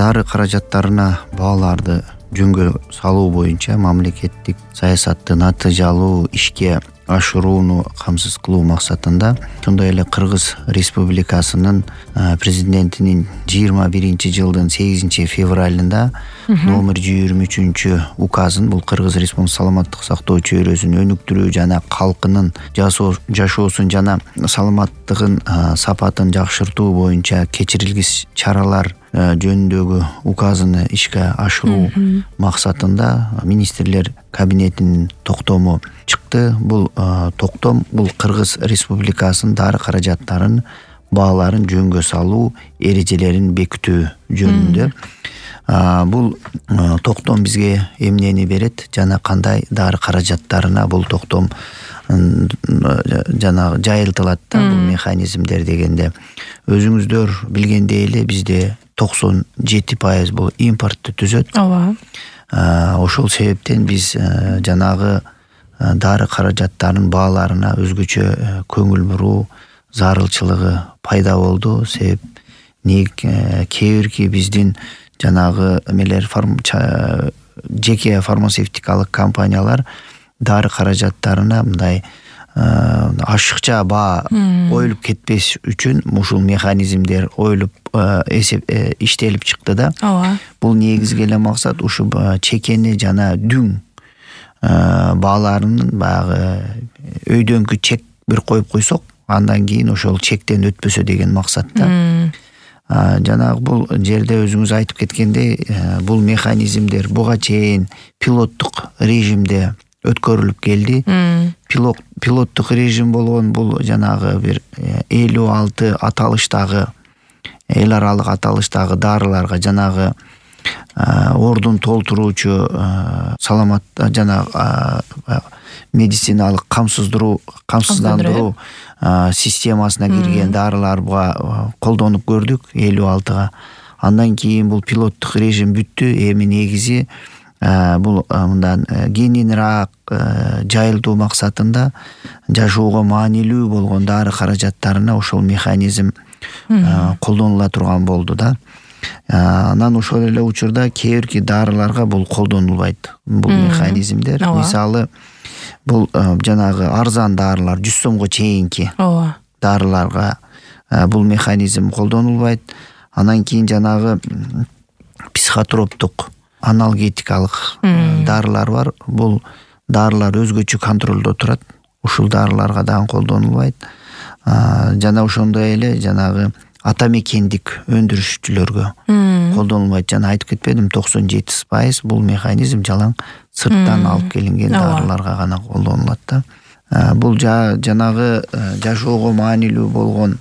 Дары каражаттарына бааларды жөнгө салуу боюнча мамлекеттик саясатты натыйжалуу ишке ашырууну камсыз кылуу максатында ошондой эле Кыргыз Республикасынын президентинин 21-жылдын 8-февралында номер 23 указын, бул Кыргыз Республикасынын саламаттык сактоо чөйрөсүн өнүктүрүү жана калкынын жашоосун жана саламаттыгын сапатын жакшыртуу боюнча кечирилгис чаралар жөнүндөгү указыны ишке ашыруу максатында министрлер кабинетинин токтому чыкты. Бул токтом Кыргыз Республикасынын дары каражаттарын бааларын жөнгө салуу эрежелерин бекитүү жөнүндө. Бул токтом бизге эмнени берет жана кандай дары каражаттарына бул токтом жана жайылтылат да бул механизмдер дегенде. Өзүңүздөр билгендей эле бизде 97% бул импортту түзөт. Ооба. Ошол себептен биз жанагы дары каражаттарынын бааларына өзгөчө көңүл буруу зарылчылыгы пайда болду. Себеп кээ бирки биздин жанагы эмелер жеке фармацевтикалык компаниялар дары каражаттарына мындай ашыкча баа коюлуп кетпеш үчүн ушул механизмдер оюлуп иштелип чыкты да. Ооба. Бул негизги эле максат ушу чекени жана дүң бааларынын баягы өйдөнкү чек бир коюп койсок, андан кийин ошол чектен өтпөсө деген максатта. Жанагы бул жерде өзүңүз айтып кеткендей, бул механизмдер буга чейин пилоттук режимде өткөрүлүп келди. Пилоттук режим болгон бул жанагы бир 56 аталыштагы эл аралык аталыштагы дарыларга жанагы ордун толтуруучу саламат жана медициналык камсыздандыруу системасына кирген дарыларга колдонуп көрдүк 56-га. Андан кийин бул пилоттук режим бүттү. Эми негизи бул мындан кеңинирээк жайылтуу максатында жашоого маанилүү болгон дары каражаттарына ошол механизм колдонула турган болду да. Анан ошол эле учурда кээ бирки дарыларга бул колдонулбайт, бул механизмдер. Мисалы бул жанагы арзан дарылар 100 сомго чейинки дарыларга бул механизм колдонулбайт. Анан кийин жанагы психотроптук аналгетикалык дарылар бар. Бул дарылар өзгөчө контролдо турат. Ушул дарыларга дагы колдонулбайт. Жана ошондой эле жанагы атамекендик өндүрүшчүлөргө колдонулбайт. Жана айтып кетпедим, 97% бул механизм жалаң сырттан алып келинген дарыларга гана колдонулат да. Бул жанагы жашоого маанилүү болгон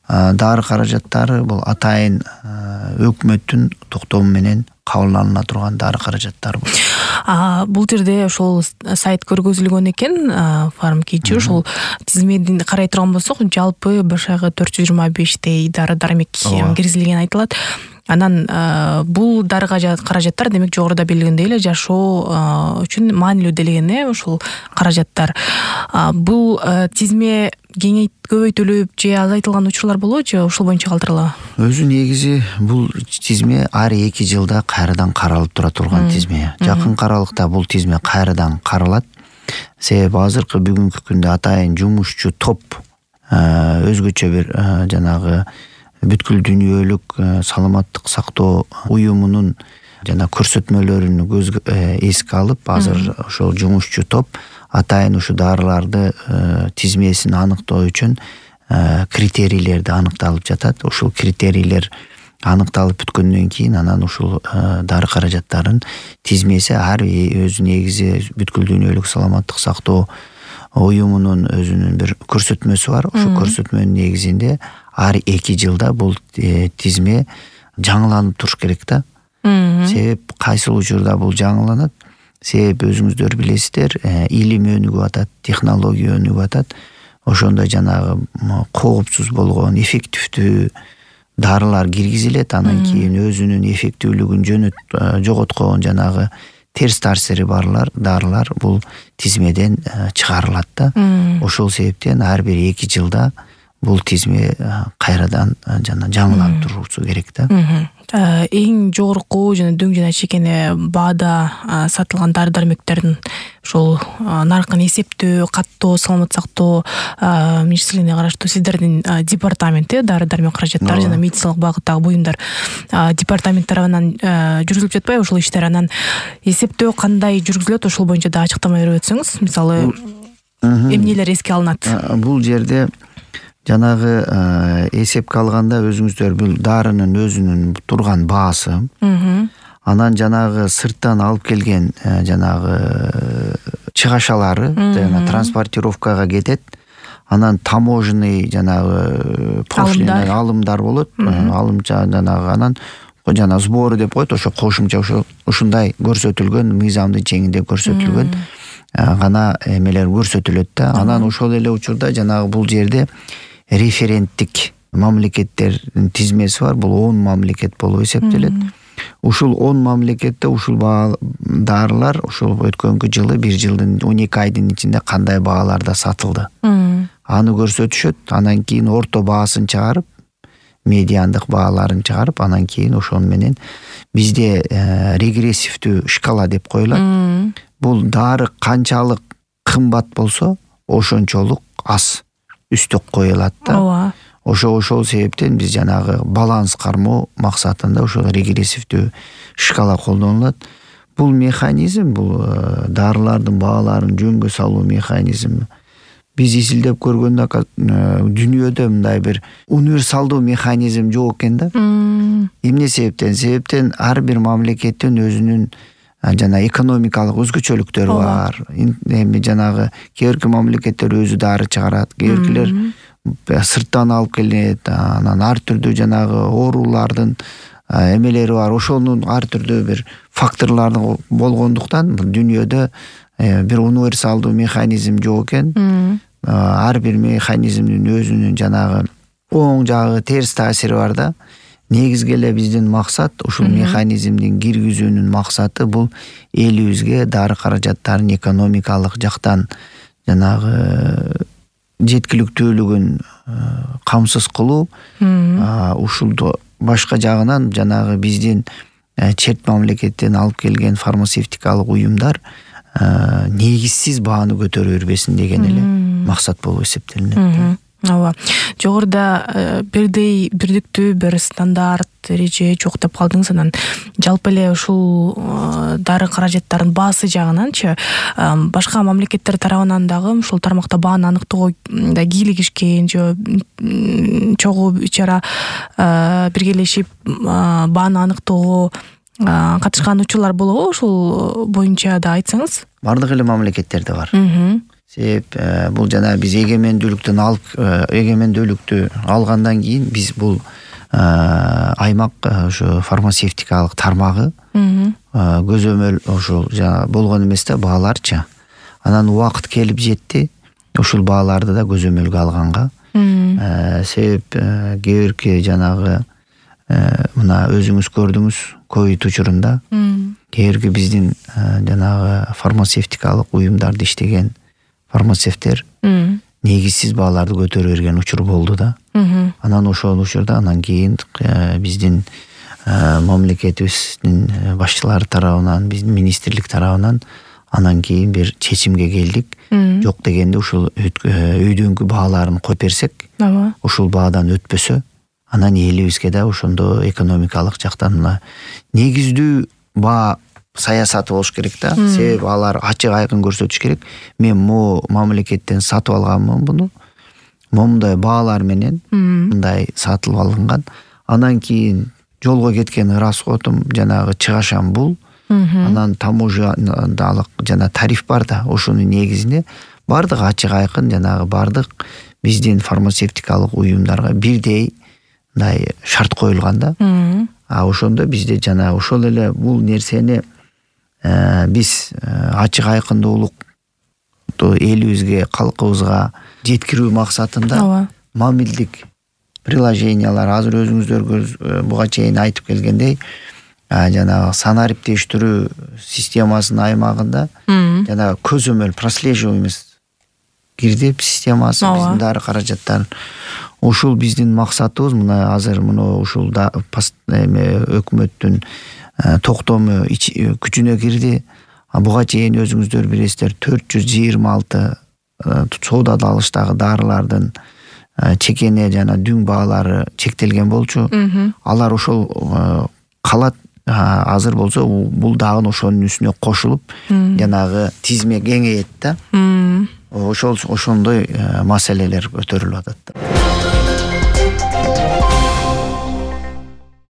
дары каражаттары бул атайын өкмөттүн токтому менен кабылданыла турган дары каражаттар болот. Бул жерде ошол сайт көргөзүлгөн экен, фармкичи ошол тизмедин карай турган болсок, жалпы башагы 425 дары-дармек киргизилгени айтылат. Анан бул дары каражаттар демек жогоруда белгиленгендей эле жашоо үчүн маанилүү делеген ушул каражаттар. Бул тизме көбөйтүлүп же азайтылган учурлар болобу, ушул боюнча калтырылабы? Өзү негизи бул тизме ар 2 жылда кайрадан каралып тура турган тизме. Жакын аралыкта бул тизме кайрадан каралат. Себеби азыркы бүгүнкү күндө атайын жумушчу топ өзгөчө бир жанагы бүткүл дүйнөлүк саламаттык сактоо уюмунун жана көрсөтмөлөрүн эске алып, азыр ошол жумушчу топ атайын ушу дарыларды тизмесин аныктоо үчүн критерийлерди аныкталып жатат. Ушул критерийлер аныкталып бүткөндөн кийин анан ушул дары каражаттарын тизмеси ар өзү негизи бүткүл дүйнөлүк саламаттык сактоо уюмунун өзүнүн бир көрсөтмөсү бар. Ошол көрсөтмөнүн негизинде ар 2 жылда бул тизме жаңыланып туруш керек да. Себеп кайсыл учурда бул жаңыланат? Себеп өзүңүздөр билесиздер, илим өнүгүп атат, технология өнүгүп атат. Ошондо жанагы коопсуз болгон, эффективдүү дарылар киргизилет. Анан кийин өзүнүн эффективдүүлүгүн жоготкон жанагы терс таасири барлар дарылар бул тизмеден чыгарылат да. Ошол себептен ар бир 2 жылда бул тизме кайрадан жаңыланып турусу керек да. эң жогорку жана дөң жана чекене баада сатылган дары дармектердин ошол наркын эсептөө, каттоо, саламат сактоо министрлигине караштуу сиздердин департамент дары дармек каражаттары жана медициналык багыттагы буюмдар департамент тарабынан жүргүзүлүп жатпайбы ошол иштер? Анан эсептөө кандай жүргүзүлөт, ошол боюнча да ачыктама берип өтсөңүз, мисалы эмнелер эске алынат? Бул жерде жанагы эсепке алганда өзүңүздөр бул дарынын өзүнүн турган баасы, анан жанагы сырттан алып келген жанагы чыгашалары жана транспортировкага кетет, анан таможенный жанагы пошлина алымдар болот, алымча жанагы анан жана сбору деп коет, ошо кошумча ушундай көрсөтүлгөн мыйзамдын чегинде көрсөтүлгөн гана эмелер көрсөтүлөт да. Анан ошол эле учурда жанагы бул жерде референттик мамлекеттердин тизмеси бар. Бул 10 мамлекет болуп эсептелет. Ушул 10 мамлекетте ушул дарылар ошол өткөнкү жылы 1 жылдын 12 айдын ичинде кандай бааларда сатылды. Аны көрсөтүшөт. Анан кийин орто баасын чыгарып, медиандык бааларын чыгарып, анан кийин ошол менен бизде регрессивдүү шкала деп коюлат. Бул дары канчалык кымбат болсо, ошончолук аз үстөк коюлат да. Ошол себептен биз жанагы баланс кармоо максатында ошол регрессивдүү шкала колдонулат. Бул механизм, бул дарылардын бааларын жөнгө салуу механизми биз изилдеп көргөндө дүйнөдө мындай бир универсалдуу механизм жок экен да. Эмне себептен? Себептен ар бир мамлекеттин өзүнүн жана экономикалык өзгөчөлүктөрү бар. Эми жанагы кээ бирки мамлекеттер өзү дары чыгарат, кээ биркилер сырттан алып келет, анан ар түрдүү жанагы оорулардын эмелери бар. Ошонун ар түрдүү бир факторлору болгондуктан дүйнөдө бир универсалдуу механизм жок экен. Ар бир механизмдин өзүнүн жанагы оң жагы, терс таасири бар да. Негизги эле биздин максат ушул механизмдин киргизүүнүн максаты бул элибизге дары каражаттарын экономикалык жактан жанагы жеткиликтүүлүгүн камсыз кылуу, ушулду башка жагынан жанагы биздин чет мамлекеттен алып келген фармацевтикалык уюмдар негизсиз бааны көтөрө бербесин деген эле максат болуп эсептелинет. Ооба. Жогоруда бирдиктүү бир стандарт, эреже жок деп калдыңыз. Анан жалпы эле ушул дары каражаттардын баасы жагынанчы башка мамлекеттер тарабынан дагы ушул тармакта бааны аныктоого кийлигишкен же чогуу ичара биргелешип бааны аныктоого катышкан учурлар болобу? Ушул боюнча да айтсаңыз. Бардык эле мамлекеттерде бар. Себеп бул жана биз эгемендүүлүктү алгандан кийин биз бул аймак ошо фармацевтикалык тармагы көзөмөл ошол жана болгон эмес да бааларчы. Анан убакыт келип жетти ушул бааларды да көзөмөлгө алганга. Себеп кээ бирки жанагы мына өзүңүз көрдүңүз ковид учурунда кээ бирки биздин жанагы фармацевтикалык уюмдарда иштеген фармацевттер негизсиз бааларды көтөрө берген учур болду да. Анан ошол учурда анан кийин биздин мамлекетибиздин башчылары тарабынан, биздин министрлик тарабынан анан кийин бир чечимге келдик. Жок дегенде ушул өйдөнгү бааларын коюп берсек, ушул баадан өтпөсө, анан элибизге да ошондо экономикалык жактан негиздүү баа саясаты болуш керек да. Себеп алар ачык айкын көрсөтүш керек. Мен могу мамлекеттен сатып алганмын буну. Момундай баалар менен мындай сатылып алынган. Анан кийин жолго кеткен расходум жанагы чыгашам бул. Анан таможенялык жана тариф бар да. Ошонун негизинде бардык ачык айкын жанагы бардык биздин фармацевтикалык уюмдарга бирдей мындай шарт коюлган да. Ошондо бизде жана ошол эле бул нерсени биз ачык айкындуулукту элибизге, калкыбызга жеткирүү максатында мамилдик приложениялар азыр өзүңүздөр буга чейин айтып келгендей жанагы санариптештирүү системасынын аймагында жанагы көзөмөл прослеживаемость кирди системасы биздин дары каражаттарын ушул биздин максатыбыз. Мына азыр ушул өкмөттүн токтому күчүнө кирди. Буга чейин өзүңүздөр билесиздер 426 соодада алыштагы дарылардын чекене жана дүң баалары чектелген болчу. Алар ошол калат. Азыр болсо бул дагы ошонун үстүнө кошулуп жанагы тизме кеңейет да. Ошондой маселелер көтөрүлүп атат.